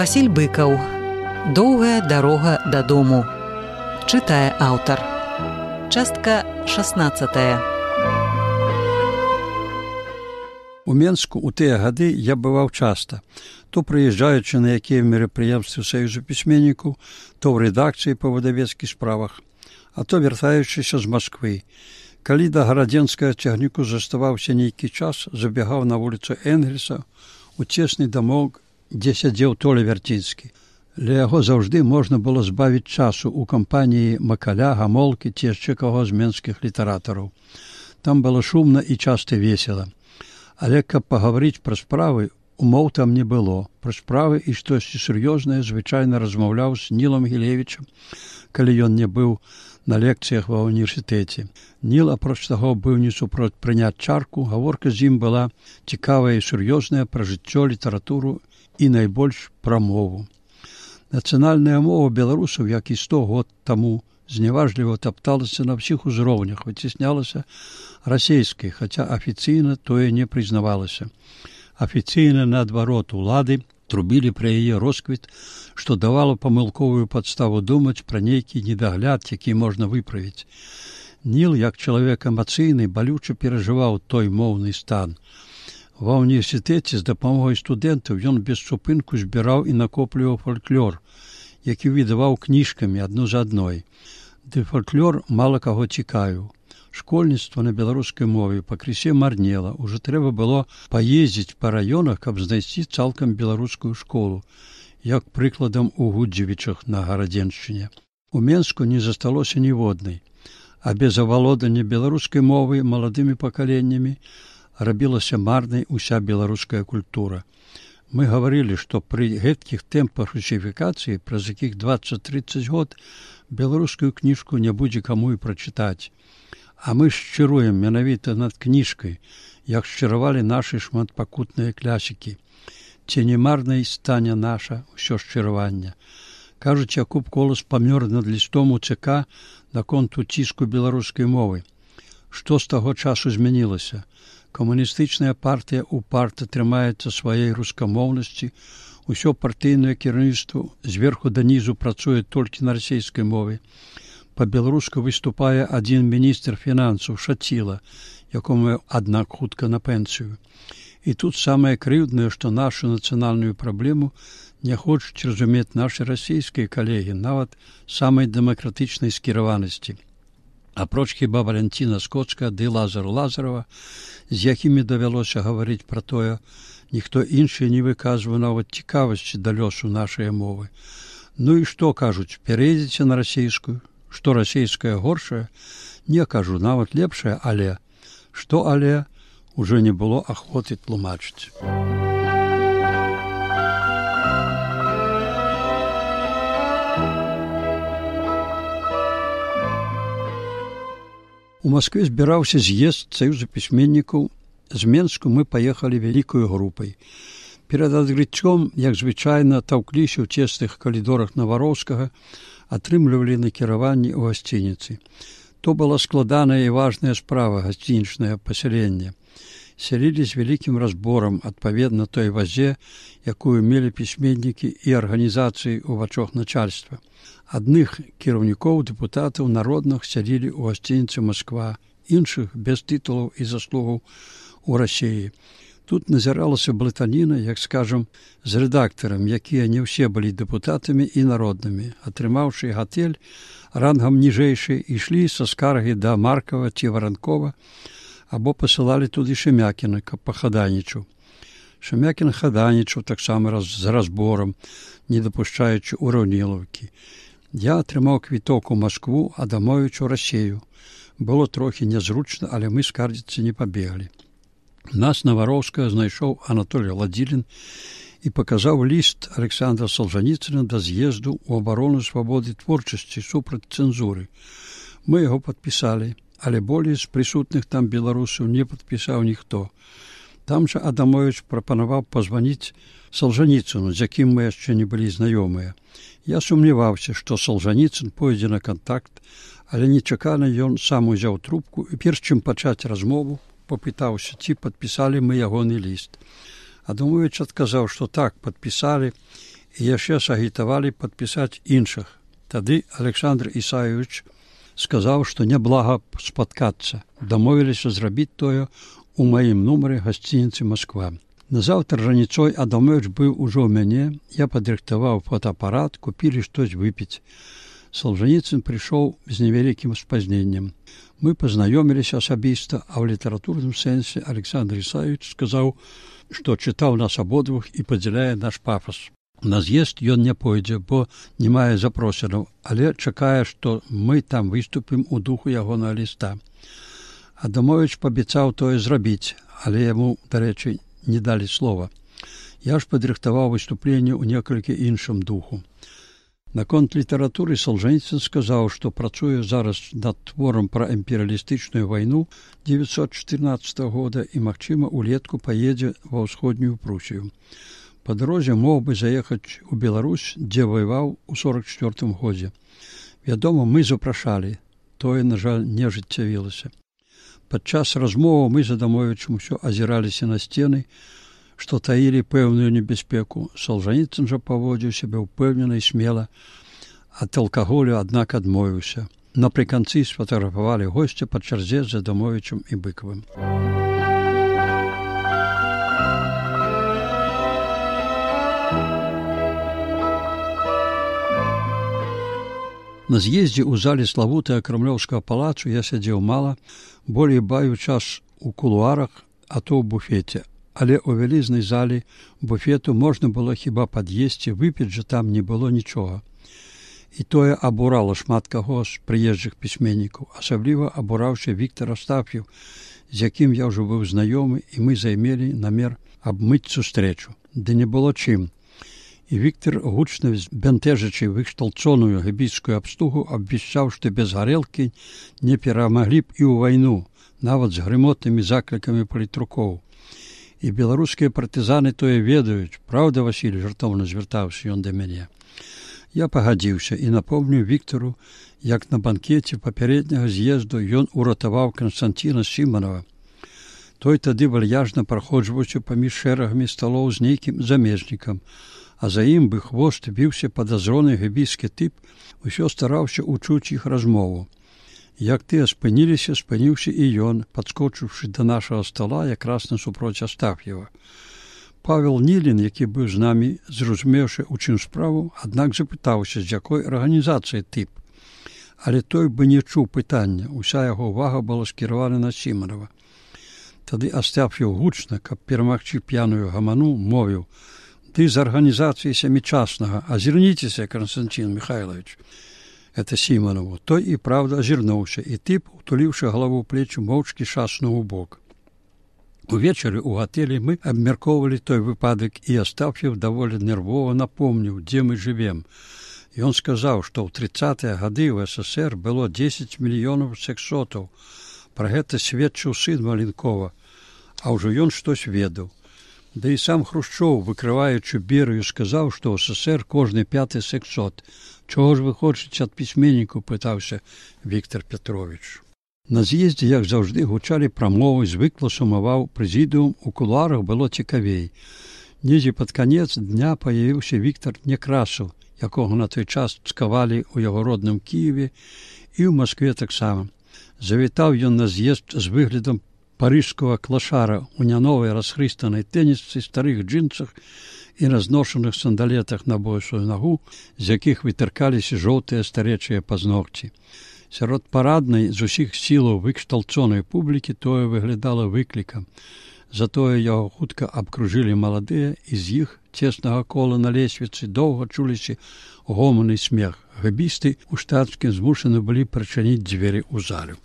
Васіль Быкаў. Доўгая дарога дадому. Чытае аўтар. Частка 16. У Менску ў тыя гады я бываў часта, то прыязджаючы на якія мерапрыемствы Саюзу пісьменнікаў, то ў рэдакцыі па выдавецкіх справах, а то вяртаючыся з Масквы. Калі да гарадзенскага цягніку заставаўся нейкі час, забегаў на вуліцу Энгельса у цесны дамок, дзе сядзеў Толя Вярцінскі. Ля яго заўжды можна было збавіць часу ў кампаніі Макаля, Гамолкі ці яшчэ каго з менскіх літаратараў. Там было шумна і часта весела. Але каб пагаварыць пра справы, умоў там не было. Пра справы і штосьці сур'ёзнае звычайна размаўляў з Нілам Гілевічам, калі ён не быў на лекцыях ва ўніверсітэце. Ніл, апроч таго, быў не супроць прыняць чарку, гаворка з ім была цікавая і сур'ёзная пра жыццё, літаратуру і найбольш пра мову. Нацыянальная мова беларусаў, як і 100 год таму, зняважліва тапталася на ўсіх узроўнях, выцеснялася расейскай, хаця афіцыйна тое не прызнавалася. Афіцыйна, наадварот, улады трубілі пра яе росквіт, што давала памылковую падставу думаць пра нейкі недагляд, які можна выправіць. Ніл, як чалавек эмацыйны, балюча перажываў той моўны стан. Ва ўніверсітэце з дапамогай студэнтаў ён без супынку збіраў і накопліваў фальклор, які выдаваў кніжкамі адну за адной. Ды фальклор мала каго цікавіў. Школьніцтва на беларускай мове пакрысе марнела. Ужо трэба было паездзіць па раёнах, каб знайсці цалкам беларускую школу, як прыкладам у Гудзевічах на Гарадзеншчыне. У Менску не засталося ніводнай, а без авалодання беларускай мовы маладымі пакаленнямі рабілася марнай уся беларуская культура. Мы гаварылі, што пры гэткіх тэмпах русіфікацыі, праз якіх 20-30 год, беларускую кніжку не будзе каму і прачытаць. А мы шчыруем менавіта над кніжкай, як шчыравалі нашы шматпакутныя клясікі. Ці не марнай стане наша ўсё шчыраванне. Кажуць, Якуб Колас памёр над лістом у ЦК наконт уціску беларускай мовы. Што з таго часу змянілася? Камуністычная партыя упарта трымаецца сваёй рускамоўнасці, усё партыйнае кіраўніцтва зверху данізу працуе толькі на расейскай мове. Па-беларуску выступае адзін міністр фінансаў Шаціла, якому, аднак, хутка на пенсію. І тут самае крыўднае, што нашу нацыянальную праблему не хочуць разумець нашы расійскія калегі, нават самай дэмакратычнай скіраванасці. Апроч хіба Валянціна Скоцка ды Лазару Лазарова, з якімі давялося гаварыць пра тое, ніхто іншы не выказвае нават цікавасці да лёсу нашай мовы. Ну і што, кажуць, перейдзеце на расейскую? Што расейская горшая? Не, кажу, нават лепшая, але. Што але? Ужо не было ахвоты тлумачыць. У Маскве збіраўся з'езд Саюза пісьменнікаў. З Менску мы паехалі вялікаю групай. Перад адкрыццём, як звычайна, таўкліся ў цесных калідорах Навароўскага, атрымлівалі накіраванні ў гасцініцы. То была складаная і важная справа гасцінічнае пасяленне. Сялілі з вялікім разборам адпаведна той вазе, якую мелі пісьменнікі і арганізацыі ў вачах начальства. Адных кіраўнікоў, дэпутатаў народных сялілі ў гасцініцы Масква, іншых без тытулаў і заслугаў у Расіі. Тут назіралася блытаніна, як скажам, з рэдактарам, якія не ўсе былі дэпутатамі і народнымі. Атрымаўшы гатэль рангам ніжэйшы, ішлі са скаргі да Маркава ці Варанкова, або пасылалі туды Шемякіна, каб пахаданічаў. Шемякін хаданічаў таксама з разборам, не дапушчаючы ўраўнілаўкі. Я атрымаў квіток у Маскву, а дамовіч у Расею. Было трохі нязручна, але мы скардзіцца не пабеглі. Нас Навароўскага знайшоў Анатолій Ладзілін і паказаў ліст Александра Солжаніцына да з'езду ў абарону свабоды творчасці супраць цэнзуры. Мы яго падпісалі, але болей з прысутных там беларусаў не падпісаў ніхто. Там жа Адамовіч прапанаваў пазваніць Солжаніцыну, з якім мы яшчэ не былі знаёмыя. Я сумняваўся, што Солжаніцын пойдзе на кантакт, але нечакана ён сам узяў трубку і перш чым пачаць размову, попытаўся, ці падпісалі мы ягоны ліст. Адамовіч адказаў, што так, падпісалі, і яшчэ сагітавалі падпісаць іншых. Тады Александр Ісаевич сказаў, што няблага спаткацца. Дамовіліся зрабіць тое у маім нумары гасцініцы «Москва». Назаўтра раніцой Адамович быў ужо ў мяне, я падрыхтаваў фотоапарат, купілі штось выпіць. Солженіцын прыйшоў з невялікім спазненнем. Мы пазнаёміліся асабіста, а ў літаратурным сэнсе Александр Ісаевич сказаў, што чытаў нас абодвух і падзяляе наш пафас. На з'езд ён не пойдзе, бо не мае запрошанаў, але чакае, што мы там выступім у духу ягонага ліста. Адамович паабяцаў тое зрабіць, але яму, дарэчы, не далі слова. Я ж падрыхтаваў выступленне ў некалькі іншым духу. Наконт літаратуры Солженіцын сказаў, што працуе зараз над творам пра імперыялістычную вайну 1914 года і, магчыма, улетку паедзе ва ўсходнюю Прусію. Па дарозе мог бы заехаць у Беларусь, дзе ваяваў у 1944 годзе. Вядома, мы запрашалі, тое, на жаль, не ажыццявілася. Падчас размоваў мы з Адамовічам усё азіраліся на сцены, што таілі пэўную небяспеку. Солженіцын жа паводзіў сябе ўпэўнена і смела, ад алкаголю, аднак, адмовіўся. Напрыканцы сфатаграфавалі госця па чарзе з Адамовічам і Быкавым. На з'ездзе ў зале славутага крамлёўскага палацу я сядзеў мала, болей бавіў час у кулуарах, а то ў буфеце. Але ў вялізнай зале буфету можна было хіба пад'есці, выпіць жа там не было нічога. І тое абурала шмат каго з прыезджых пісьменнікаў. Асабліва абураўся Віктар Астаф'еў, з якім я ўжо быў знаёмы, і мы займелі намер абмыць сустрэчу. Ды не было чым. І Віктар, гучна збянтэжачы вышталцоную гэбійскую абстугу, абвяшчаў, што без гарэлкі не перамаглі б і ў вайну, нават з грымотнымі заклікамі палітрукоў. І беларускія партызаны тое ведаюць. Праўда, Васіль, жартоўна звяртаўся ён да мяне. Я пагадзіўся і напомніў Віктару, як на банкеце папярэдняга з'езду ён уратаваў Канстанціна Сіманова. Той тады вальяжна праходжваўся паміж шэрагамі сталоў з нейкім замежнікам, а за ім бы хвост біўся падазроны гэбійскі тып, усё стараўся учуць іх размову. Як тыя спыніліся, спыніўся і ён, падскочыўшы да нашага стала якраз насупроць Астаф'ева. Павел Нілін, які быў з намі, зразумеўшы, у чым справу, аднак запытаўся, з якой арганізацыі тып. Але той бы не чуў пытання, уся яго ўвага была скіравана на Сіманова. Тады Астаф'еў гучна, каб перамагчы п'яную гаману, мовіў: «Ты з арганізацыі сямічаснага, азірніцеся, Константин Михайлович». Это Сіманову. Той і правда азірнуўся, і тып, утуліўшы галаву ў плечы, моўчкі шаснуў у бок. Увечары ў гатэлі мы абмяркоўвалі той выпадак, і Астаф'еў даволі нервова напомніў, дзе мы жывем. Ён сказаў, што ў 30-е гады ў СССР было 10 мільёнаў сексотаў. Пра гэта сведчыў сын Маленкова, а ўжо ён штось ведаў. Да і сам Хрушчоў, выкрываючы Берыю, сказаў, што ў СССР кожны 5-й сексот. Чого ж вы хочаце ад пісьменніку, пытаўся Віктар Петрович. На з'ездзе, як заўжды, гучалі прамовы, звыкла сумаваў прэзідыум, у кулуарах было цікавей. Недзе пад канец дня паявіўся Віктар Некрасаў, якога на той час цкавалі ў яго родным Кіеве і ў Маскве таксама. Завітаў ён на з'езд з выглядам парыжскага клашара у няновай расхрыстанай тэнісцы, старых джинсах і разношаных сандалетах на бойсую нагу, з якіх вытыркаліся жоўтыя старэчыя пазногці. Сярод параднай з усіх сілаў выкшталцонай публікі тое выглядала выклікам. Затое яго хутка абкружылі маладыя, і з іх цеснага кола на лесвіцы доўга чуліся гоман і смех. Гэбісты ў штатскім змушаны былі прачыніць дзверы ў залю.